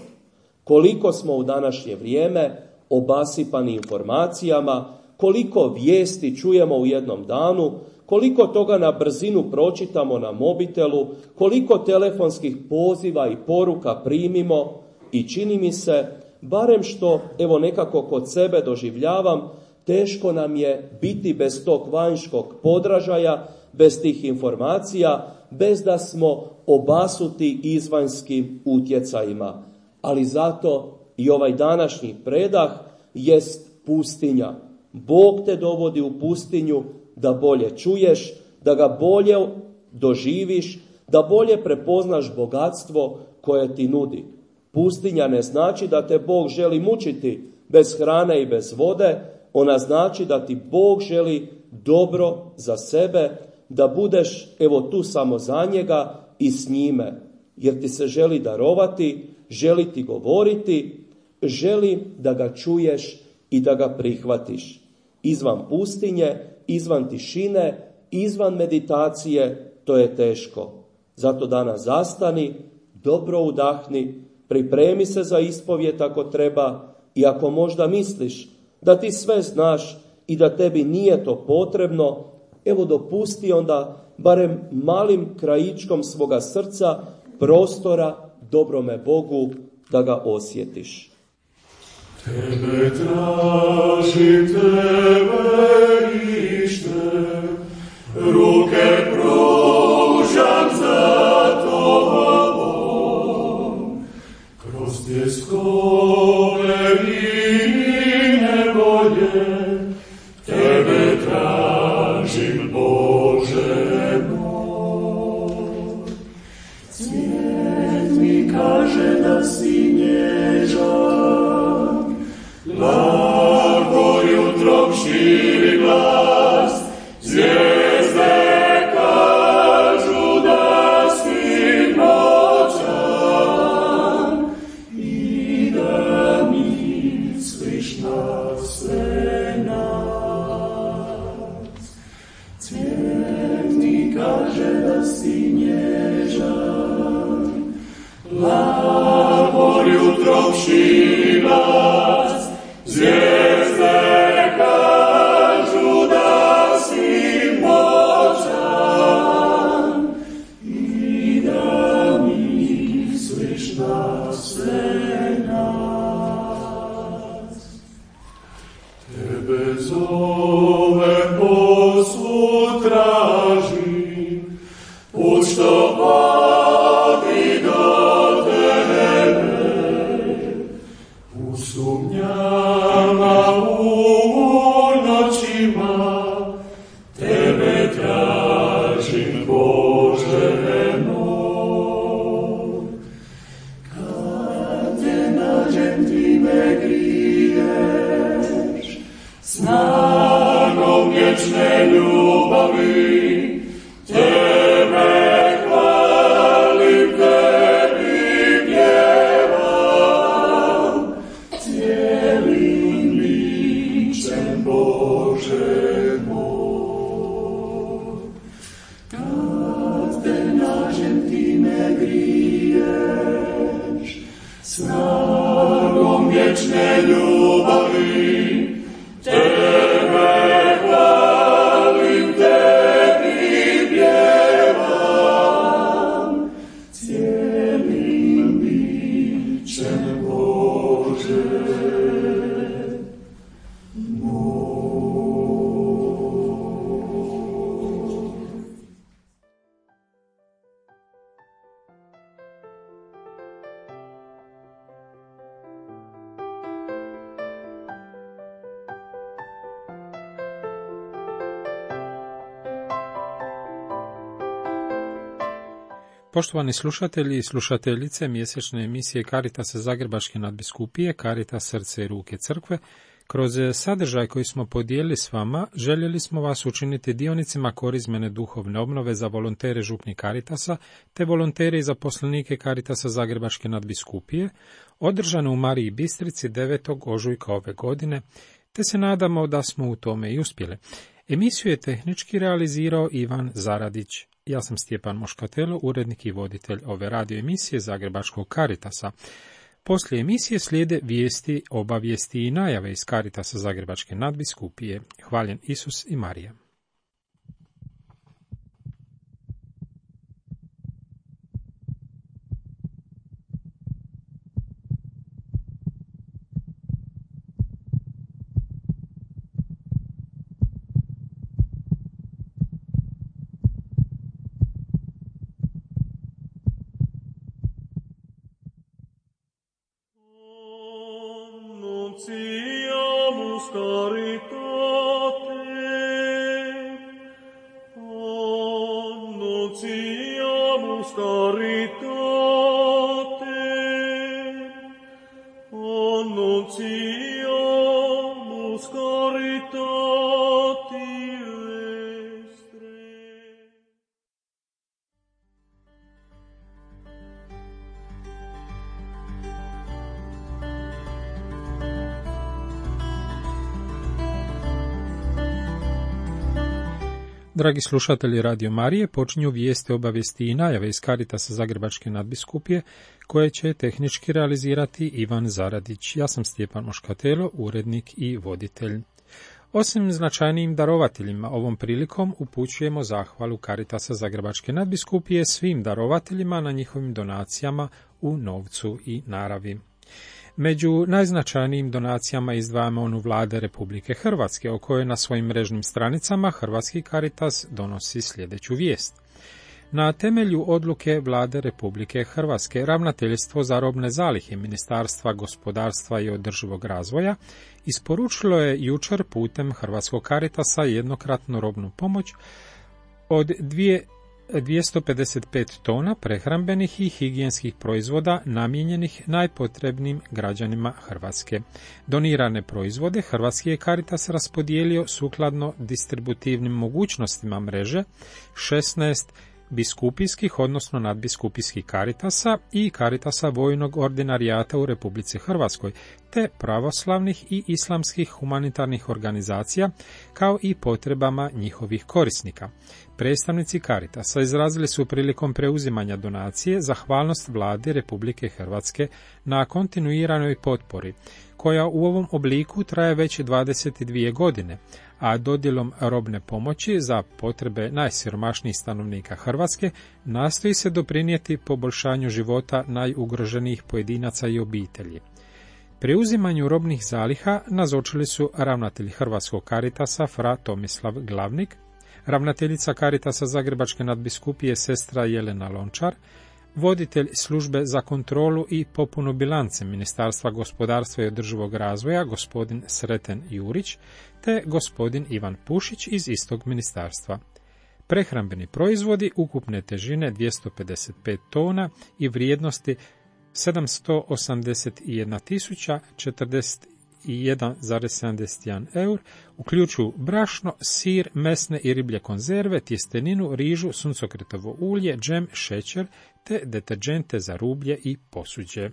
Koliko smo u današnje vrijeme obasipani informacijama, koliko vijesti čujemo u jednom danu, koliko toga na brzinu pročitamo na mobitelu, koliko telefonskih poziva i poruka primimo i čini mi se, barem što evo nekako kod sebe doživljavam, teško nam je biti bez tog vanjskog podražaja, bez tih informacija, bez da smo obasuti izvanjskim utjecajima. Ali zato i ovaj današnji predah jest pustinja. Bog te dovodi u pustinju da bolje čuješ, da ga bolje doživiš, da bolje prepoznaš bogatstvo koje ti nudi. Pustinja ne znači da te Bog želi mučiti bez hrane i bez vode, ona znači da ti Bog želi dobro za sebe, da budeš evo tu samo za njega i s njime, jer ti se želi darovati, želi ti govoriti, želi da ga čuješ i da ga prihvatiš. Izvan pustinje, izvan tišine, izvan meditacije, to je teško. Zato danas zastani, dobro udahni, pripremi se za ispovijed ako treba i ako možda misliš da ti sve znaš i da tebi nije to potrebno, evo dopusti onda barem malim krajičkom svoga srca prostora dobrome Bogu da ga osjetiš. Tebe tražim, tebe ištem, ruke pružam za tobom, kroz tjeskove i nevolje, tebe tražim, Bože moj. Svijet mi kaže da si nježan, blago jutrom širi glas, zvijezde kažu da si moćan i da misliš na sve nas. Cvijet mi kaže da si nježan, blago jutrom širi glas, zvijezde kažu da si moćan i da misliš na sve nas. Tebe zove posud tražim, put što vodi do tebe, u sumnjama u noćima, tebe tražim, Bože moj. Kad te nađem, ti me griješ, snagom vječne ljubavi, tebe hvalim, tebi pjevam, cijelim ličem, Bože moj. Kad te nađem, ti me griješ, snagom vječne ljubavi, tebe hvalim, tebi pjevam, cijelim bićem, Bože moj. Poštovani slušatelji i slušateljice mjesečne emisije Caritasa Zagrebačke nadbiskupije, Caritas srce i ruke crkve, Kroz sadržaj koji smo podijelili s vama, željeli smo vas učiniti dionicima korizmene duhovne obnove za volontere župni Caritasa, te volontere i zaposlenike Caritasa Zagrebačke nadbiskupije, održane u Mariji Bistrici devetog ožujka ove godine, te se nadamo da smo u tome i uspjeli. Emisiju je tehnički realizirao Ivan Zaradić. Ja sam Stjepan Moškatelo, urednik i voditelj ove radio emisije Zagrebačkog Caritasa. Poslije emisije slijede vijesti, obavijesti i najave iz Caritasa Zagrebačke nadbiskupije. Hvaljen Isus i Marija. Annunciamus caritate, annunciamus caritate, annunciamus caritati vestre. Dragi slušatelji Radio Marije, počinju vijesti, obavijesti i najave iz Caritasa Zagrebačke nadbiskupije, koje će tehnički realizirati Ivan Zaradić. Ja sam Stjepan Moškatelo, urednik i voditelj. Osim značajnijim darovateljima, ovom prilikom upućujemo zahvalu Caritasa Zagrebačke nadbiskupije svim darovateljima na njihovim donacijama u novcu i naravi. Među najznačajnijim donacijama izdvajamo onu Vlade Republike Hrvatske, o kojoj na svojim mrežnim stranicama Hrvatski Caritas donosi sljedeću vijest. Na temelju odluke Vlade Republike Hrvatske, Ravnateljstvo za robne zalihe Ministarstva gospodarstva i održivog razvoja isporučilo je jučer putem Hrvatskog Caritasa jednokratnu robnu pomoć od dvjesto pedeset pet tona prehrambenih i higijenskih proizvoda namijenjenih najpotrebnijim građanima Hrvatske. Donirane proizvode Hrvatski je Caritas raspodijelio sukladno distributivnim mogućnostima mreže šesnaest biskupijskih, odnosno nadbiskupijskih Caritasa i Caritasa vojnog ordinarijata u Republici Hrvatskoj, te pravoslavnih i islamskih humanitarnih organizacija, kao i potrebama njihovih korisnika. Predstavnici Caritasa izrazili su prilikom preuzimanja donacije zahvalnost Vladi Republike Hrvatske na kontinuiranoj potpori, koja u ovom obliku traje već dvadeset dvije godine, a dodjelom robne pomoći za potrebe najsiromašnijih stanovnika Hrvatske nastoji se doprinijeti poboljšanju života najugroženijih pojedinaca i obitelji. Preuzimanju robnih zaliha nazočili su ravnatelj Hrvatskog Caritasa fra Tomislav Glavnik, ravnateljica Caritasa Zagrebačke nadbiskupije sestra Jelena Lončar, voditelj službe za kontrolu i popunu bilance Ministarstva gospodarstva i održivog razvoja gospodin Sreten Jurić, te gospodin Ivan Pušić iz istog ministarstva. Prehrambeni proizvodi ukupne težine dvjesto pedeset pet tona i vrijednosti sedamsto osamdeset jedna tisuća četrdeset jedan zarez sedamdeset jedan eur, uključuju brašno, sir, mesne i riblje konzerve, tjesteninu, rižu, suncokretovo ulje, džem, šećer te deterđente za rublje i posuđe.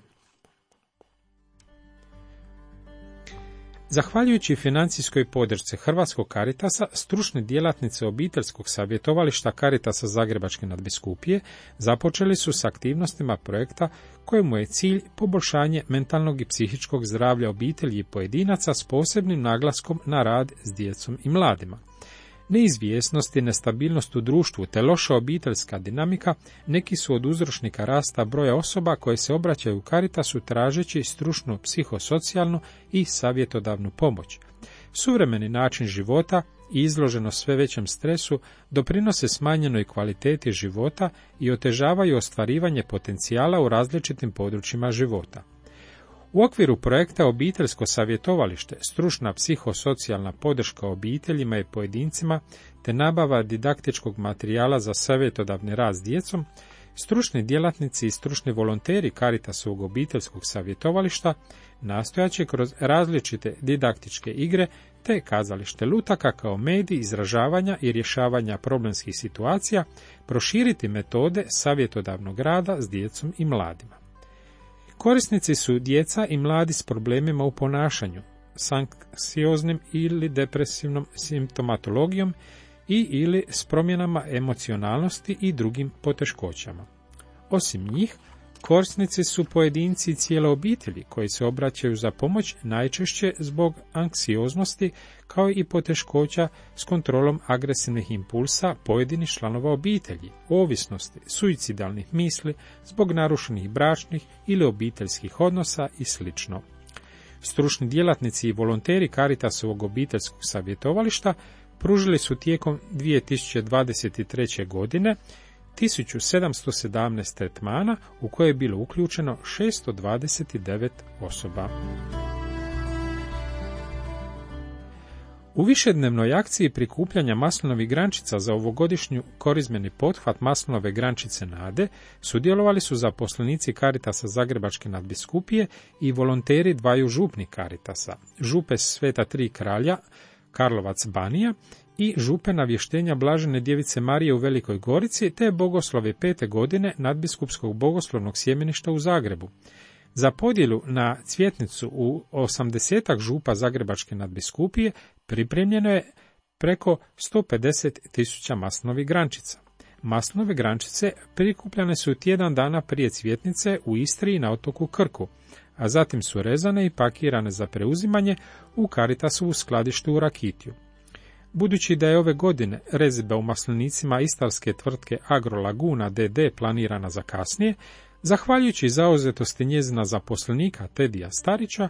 Zahvaljujući financijskoj podršci Hrvatskog Caritasa, stručni djelatnici obiteljskog savjetovališta Caritasa Zagrebačke nadbiskupije započeli su s aktivnostima projekta kojemu je cilj poboljšanje mentalnog i psihičkog zdravlja obitelji i pojedinaca s posebnim naglaskom na rad s djecom i mladima. Neizvjesnost i nestabilnost u društvu te loša obiteljska dinamika neki su od uzročnika rasta broja osoba koje se obraćaju Caritasu tražeći stručnu, psihosocijalnu i savjetodavnu pomoć. Suvremeni način života i izloženost sve većem stresu doprinose smanjenoj kvaliteti života i otežavaju ostvarivanje potencijala u različitim područjima života. U okviru projekta Obiteljsko savjetovalište, stručna psihosocijalna podrška obiteljima i pojedincima te nabava didaktičkog materijala za savjetodavni rad s djecom, Stručni djelatnici i stručni volonteri Caritasovog obiteljskog savjetovališta nastojaće kroz različite didaktičke igre te kazalište lutaka kao medij izražavanja i rješavanja problemskih situacija proširiti metode savjetodavnog rada s djecom i mladima. Korisnici su djeca i mladi s problemima u ponašanju, s anksioznim ili depresivnom simptomatologijom i ili s promjenama emocionalnosti i drugim poteškoćama. Osim njih, korisnici su pojedinci i cijele obitelji koji se obraćaju za pomoć najčešće zbog anksioznosti kao i poteškoća s kontrolom agresivnih impulsa pojedinih članova obitelji, ovisnosti, suicidalnih misli, zbog narušenih bračnih ili obiteljskih odnosa i sl. Stručni djelatnici i volonteri Caritasovog obiteljskog savjetovališta pružili su tijekom dvije tisuće dvadeset treće. godine tisuću sedamsto sedamnaest tretmana u koje je bilo uključeno šesto dvadeset devet osoba. U višednevnoj akciji prikupljanja maslinovih grančica za ovogodišnju korizmeni pothvat Maslinove grančice nade sudjelovali su zaposlenici Caritasa Zagrebačke nadbiskupije i volonteri dvaju župnih Caritasa, župe Sveta Tri kralja, Karlovac Banija i župe Navještenja Blažene Djevice Marije u Velikoj Gorici te bogoslove pete godine nadbiskupskog bogoslovnog sjemeništa u Zagrebu. Za podjelu na cvjetnicu u osamdesetak župa Zagrebačke nadbiskupije pripremljeno je preko sto pedeset tisuća maslinovih grančica. Maslinove grančice prikupljane su tjedan dana prije cvjetnice u Istri i na otoku Krku, a zatim su rezane i pakirane za preuzimanje u Caritasovu skladištu u Rakitiju. Budući da je ove godine rezidba u maslinicima istarske tvrtke Agro Laguna D D planirana za kasnije, zahvaljujući zauzetosti njezina zaposlenika Tedija Starića,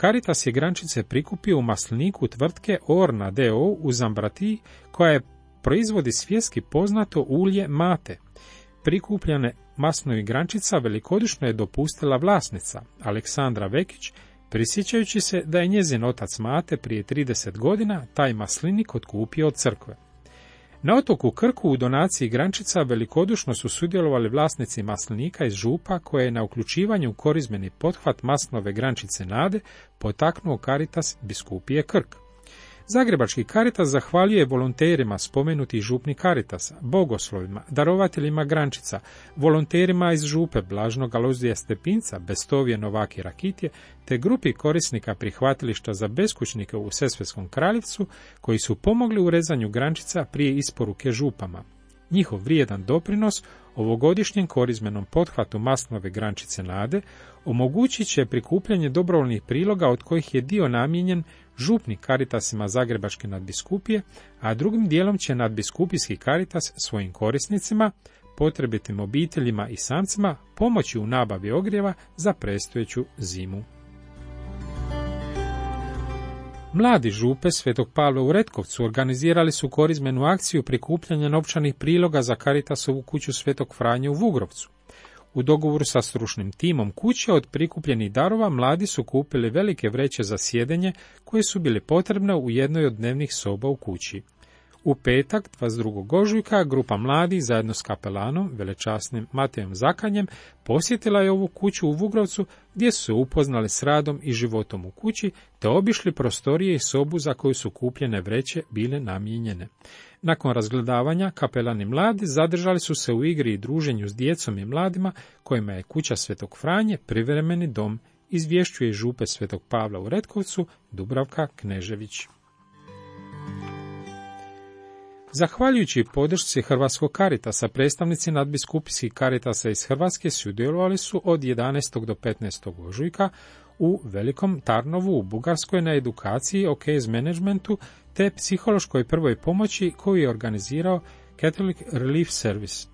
Caritas je grančice prikupio u masliniku tvrtke Orna D O u Zambratiji, koja je proizvodi svjetski poznato ulje mate. Prikupljane maslinovih grančica velikodušno je dopustila vlasnica, Aleksandra Vekić, prisjećajući se da je njezin otac Mate prije trideset godina taj maslinik otkupio od crkve. Na otoku Krku u donaciji grančica velikodušno su sudjelovali vlasnici maslinika iz župa koje je na uključivanju u korizmeni pothvat Maslinove grančice nade potaknuo Caritas biskupije Krk. Zagrebački Caritas zahvaljuje volonterima spomenutih župnih Caritasa, bogoslovima, darovateljima grančica, volonterima iz župe Blažnog Alojzija Stepinca, Bestovije, Novake i Rakitje, te grupi korisnika prihvatilišta za beskućnike u Sesvetskom Kraljevcu, koji su pomogli u rezanju grančica prije isporuke župama. Njihov vrijedan doprinos ovogodišnjem korizmenom pothvatu Maslinove grančice nade omogućit će prikupljanje dobrovoljnih priloga od kojih je dio namijenjen župnim Caritasima Zagrebačke nadbiskupije, a drugim dijelom će nadbiskupijski Caritas svojim korisnicima, potrebitim obiteljima i samcima pomoći u nabavi ogrijeva za predstojeću zimu. Mladi župe Svetog Pavla u Retkovcu organizirali su korizmenu akciju prikupljanja novčanih priloga za Caritasovu kuću Svetog Franje u Vugrovcu. U dogovoru sa stručnim timom kuće od prikupljenih darova mladi su kupili velike vreće za sjedenje koje su bile potrebne u jednoj od dnevnih soba u kući. U petak, dvadeset drugog ožujka, grupa mladih zajedno s kapelanom, velečasnim Matejom Zakanjem, posjetila je ovu kuću u Vugrovcu gdje su se upoznali s radom i životom u kući, te obišli prostorije i sobu za koju su kupljene vreće bile namijenjene. Nakon razgledavanja, kapelani mladi zadržali su se u igri i druženju s djecom i mladima, kojima je kuća Svetog Franje privremeni dom, izvješćuje župe Svetog Pavla u Retkovcu Dubravka Knežević. Zahvaljujući podršci Hrvatskog Caritasa, predstavnici nadbiskupijskih Caritasa iz Hrvatske sudjelovali su od jedanaestog do petnaestog ožujka u Velikom Tarnovu u Bugarskoj na edukaciji o case managementu te psihološkoj prvoj pomoći koju je organizirao Catholic Relief Service.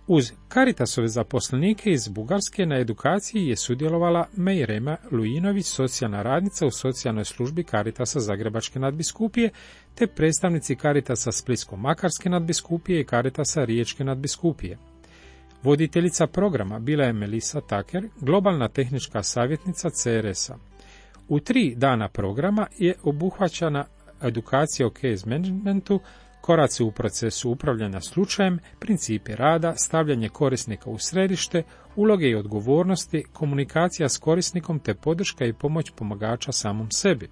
Uz Caritasove zaposlenike iz Bugarske na edukaciji je sudjelovala Mejrema Lujinović, socijalna radnica u socijalnoj službi Caritasa Zagrebačke nadbiskupije, te predstavnici Caritasa Splitsko-Makarske nadbiskupije i Caritasa Riječke nadbiskupije. Voditeljica programa bila je Melissa Tucker, globalna tehnička savjetnica C R S-a. U tri dana programa je obuhvaćana edukacija o case managementu, koraci u procesu upravljanja slučajem, principi rada, stavljanje korisnika u središte, uloge i odgovornosti, komunikacija s korisnikom te podrška i pomoć pomagača samom sebi.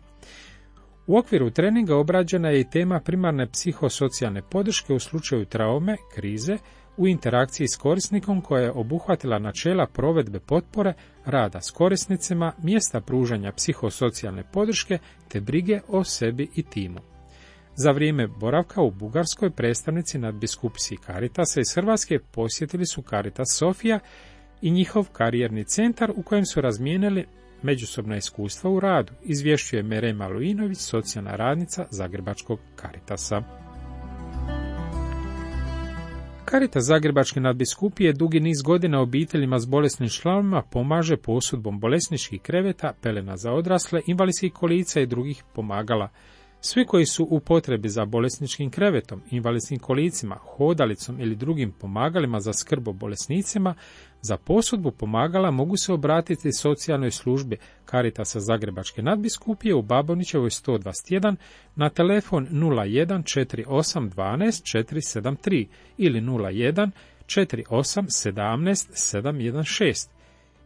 U okviru treninga obrađena je i tema primarne psihosocijalne podrške u slučaju traume, krize, u interakciji s korisnikom koja je obuhvatila načela provedbe potpore, rada s korisnicima, mjesta pružanja psihosocijalne podrške te brige o sebi i timu. Za vrijeme boravka u Bugarskoj predstavnici nadbiskupiji Caritasa iz Hrvatske posjetili su Caritas Sofija i njihov karijerni centar u kojem su razmijenili međusobna iskustva u radu, izvješćuje Merema Luinović, socijalna radnica Zagrebačkog Caritasa. Caritas Zagrebačke nadbiskupije dugi niz godina obiteljima s bolesnim članovima pomaže posudbom bolesničkih kreveta, pelena za odrasle, invalidskih kolica i drugih pomagala. Svi koji su u potrebi za bolesničkim krevetom, invalidskim kolicima, hodalicom ili drugim pomagalima za skrb o bolesnicima, za posudbu pomagala mogu se obratiti socijalnoj službi Caritasa Zagrebačke nadbiskupije u Babonićevoj sto dvadeset jedan na telefon nula jedan četiri osam dvanaest četiri sedam tri ili nula jedan četiri osam sedamnaest sedam jedan šest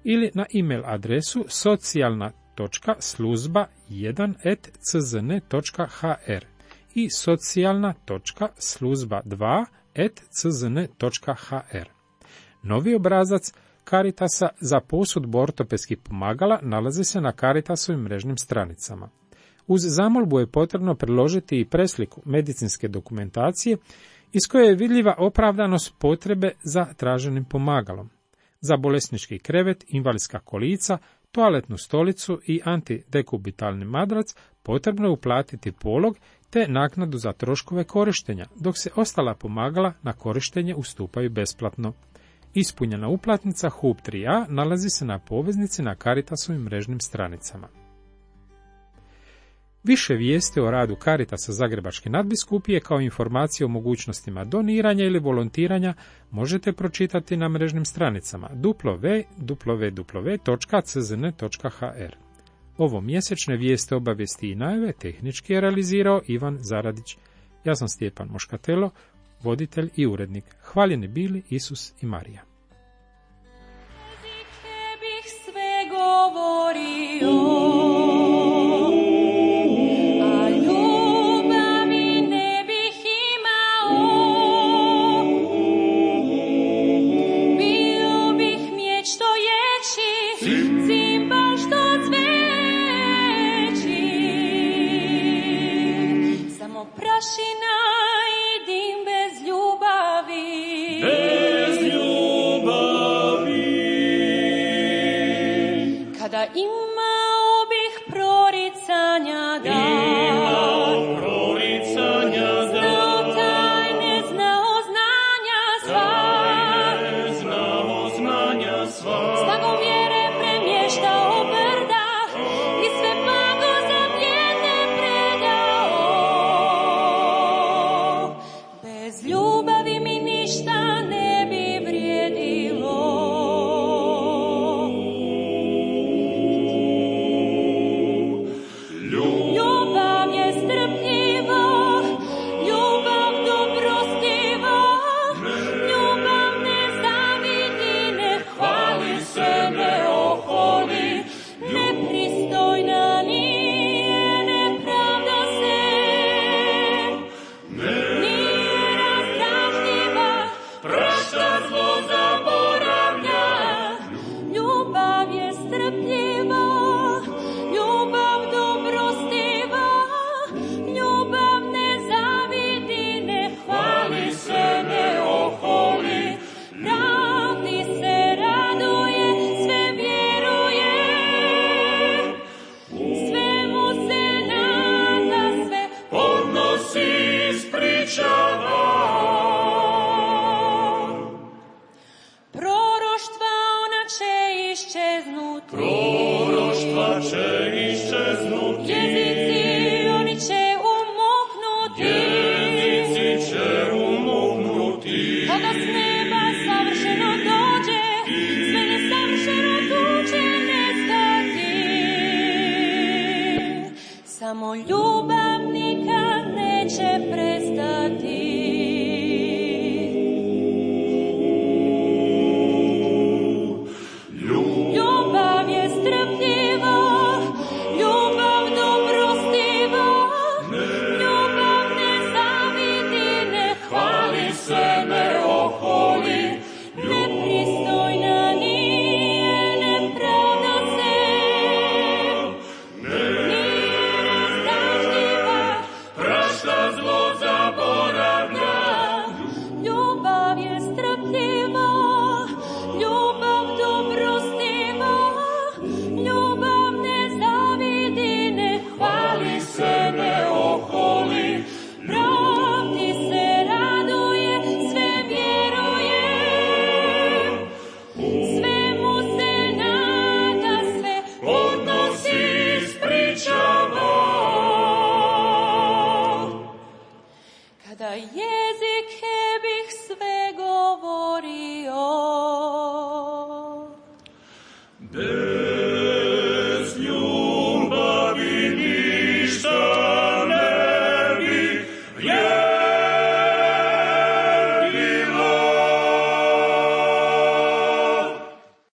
ili na e-mail adresu socijalna točka sluzba jedan at c z n točka h r i socijalna točka sluzba dva at c z n točka h r. Novi obrazac Caritasa za posudbu ortopedskih pomagala nalazi se na Caritasovim mrežnim stranicama. Uz zamolbu je potrebno priložiti i presliku medicinske dokumentacije iz koje je vidljiva opravdanost potrebe za traženim pomagalom. Za bolesnički krevet, invalidska kolica, toaletnu stolicu i antidekubitalni madrac potrebno je uplatiti polog te naknadu za troškove korištenja, dok se ostala pomagala na korištenje ustupaju besplatno. Ispunjena uplatnica H U B tri a nalazi se na poveznici na Caritasovim mrežnim stranicama. Više vijesti o radu Caritasa Zagrebačke nadbiskupije kao informacije o mogućnostima doniranja ili volontiranja možete pročitati na mrežnim stranicama w w w točka c z n točka h r. Ovo mjesečne vijeste, obavijesti i najave tehnički je realizirao Ivan Zaradić. Ja sam Stjepan Moškatelo, voditelj i urednik. Hvaljeni bili Isus i Marija. Bih sve govorio. Prašina i dim bez ljubavi, bez ljubavi. Kada imao bih proricanja da, imao proricanja da, znao tajne, znao znanja sva, tajne, znao znanja sva, snagom vjere premještao brda i sve blago za vjerne predao. Bez ljubavi mi ništa ne bi vrijedilo. Ljubav je strpljiva, ljubav dobrostiva, ljubav ne zavidi, ne hvali se, ne oholi, nepristojna nije, ne pravda se, nije razdražljiva, prašta zlo zaboravlja. Ljubav je strpljiva, ljubav dobrostiva, ljubav ne zavidi, ne hvali se, ne oholi, pravdi se raduje, sve vjeruje, svemu se nada, sve podnosi, ispričava. Proroštva ona će iščeznuti, proroštva će iščeznuti, jezici oni će umuknuti, jezici će umuknuti. Kada s neba savršeno dođe, sve nesavršeno tu će nestati. Samo ljubav nikad neće neće prestati.